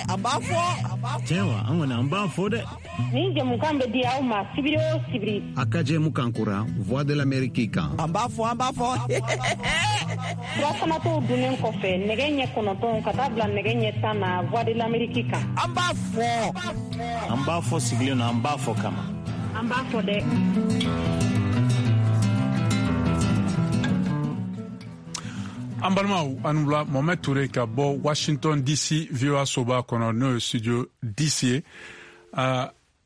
An b'a fɔ. Tiɲɛ wa, an kɔni an b'a fɔ dɛ. Nin jɛmukan bɛ di aw ma sibiri o sibiri. A ka jɛmukan kura Voix de l'Amérique kan. An b'a fɔ, an b'a fɔ. Surafanatɔw dunnen kɔfɛ nɛgɛ ɲɛ 9 ka taa bila nɛgɛ ɲɛ 10 na Voix de l'Amérique kan. An b'a fɔ. An b'a fɔ sigilen na, an b'a fɔ kama. An b'a fɔ dɛ. An balimaw, an wula. Mohamed Toure ka bɔ Washington DC, VOA soba kɔnɔ, n'o ye studio DC ye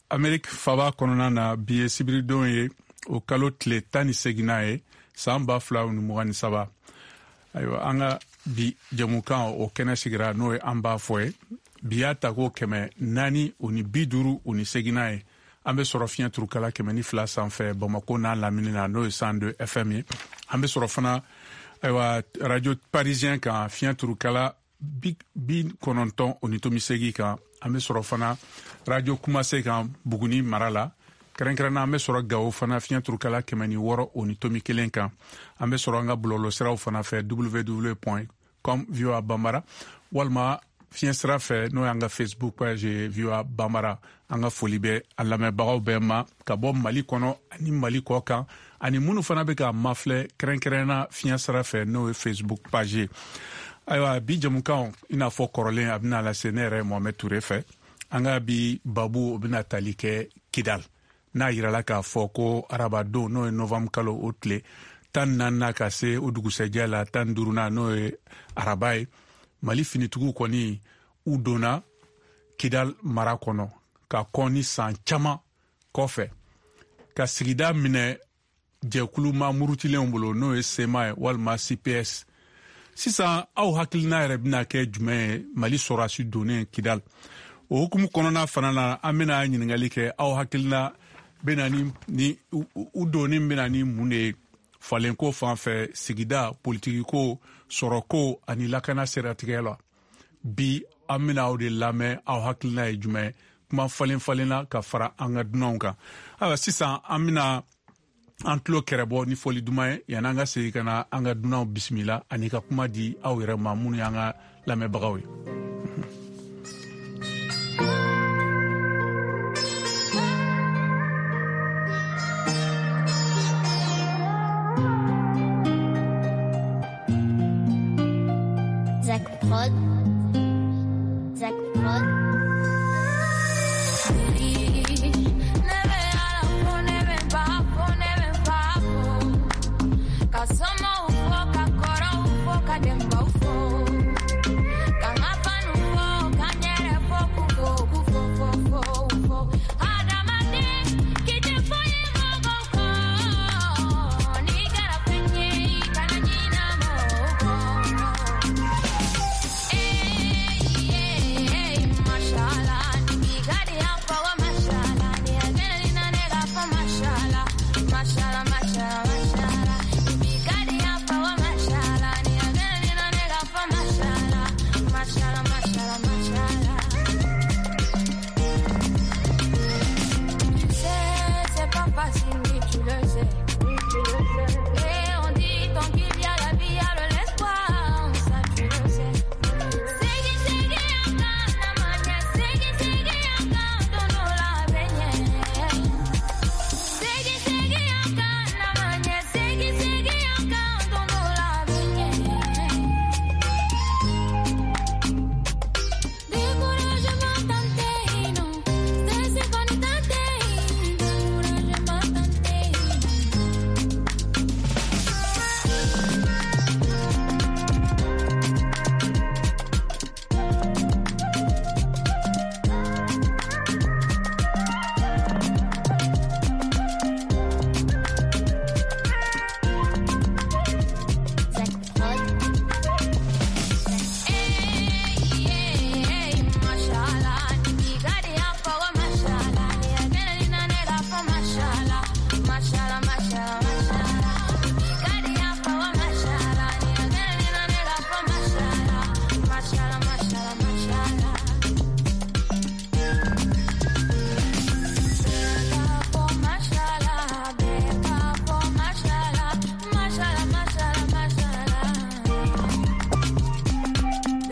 Amerique faba kɔnɔna na. Bi ye sibiridon ye, o kalo tile 18nan ye, san 2023. Ayiwa, an ka bi jɛmukan o kɛnɛ sigira, n'o ye an b'a fɔ ye. Bi y'a ta ko 458nan ye. An bɛ sɔrɔ fiɲɛ turukala 102 sanfɛ Bamako n'a lamini na, n'o ye 102 FM ye. An bɛ sɔrɔ fana, ayiwa, radio parisien kan, fiɲɛ turukala 90.8 kan. An bɛ sɔrɔ fana radio Kumase kan Buguni mara la. Kɛrɛnkɛrɛnna, an bɛ sɔrɔ Gawo fana, fiɲɛ turukala 106.1 kan. An bɛ sɔrɔ an ka bɔlɔlɔsiraw fana fɛ, www com VOA Bambara, walima fiɲɛ sira fɛ, n'o y'an ka Facebook page ye, VOA Bambara. An ka foli bɛ a lamɛnbagaw bɛɛ ma ka bɔ Mali kɔnɔ ani Mali kɔ kan, ani minnu fana bɛ ka mafilɛ kɛrɛnkɛrɛnna fiɲɛ sira fɛ, n'o ye Facebook page ye. Ayiwa, bi jɛmukan, i n'a fɔ kɔrɔlen, a bɛna lase ne yɛrɛ Mohamed Toure fɛ. An ka bi babu, o bɛna tali kɛ Kidal, n'a yirala k'a fɔ ko arabadon, n'o ye novembre kalo o tile 14nan, ka se o dugusɛjɛ la 15nan, n'o ye araba ye, Mali finitigiw kɔni u donna Kidal mara kɔnɔ ka kɔn ni san caman kɔfɛ, ka sigida minɛ jɛkulu ma murutilenw bolo, n'o ye CMA ye walima CPS. Sisan, aw hakilina yɛrɛ bɛna kɛ jumɛn ye Mali sɔrɔdasi donnen Kidal? O hukumu kɔnɔna fana na, an bɛna ɲininkali kɛ, aw hakilina bɛna ni u donni bɛna ni mun de ye falenko fan fɛ, sigida politikiko, sɔrɔko ani lakana siratigɛ la? Bi an bɛna aw de lamɛn, aw hakilina ye jumɛn, kuma falen falenna ka fara an ka dunanw kan. Ayiwa, sisan an bɛna an tulo kɛrɛbɔ ni fɔli duman ye, yanni an ka segin ka na an ka dunanw bisimila ani ka kuma di aw yɛrɛ ma, minnu y'an ka lamɛnbagaw ye. Zach Prod. Zach Prod.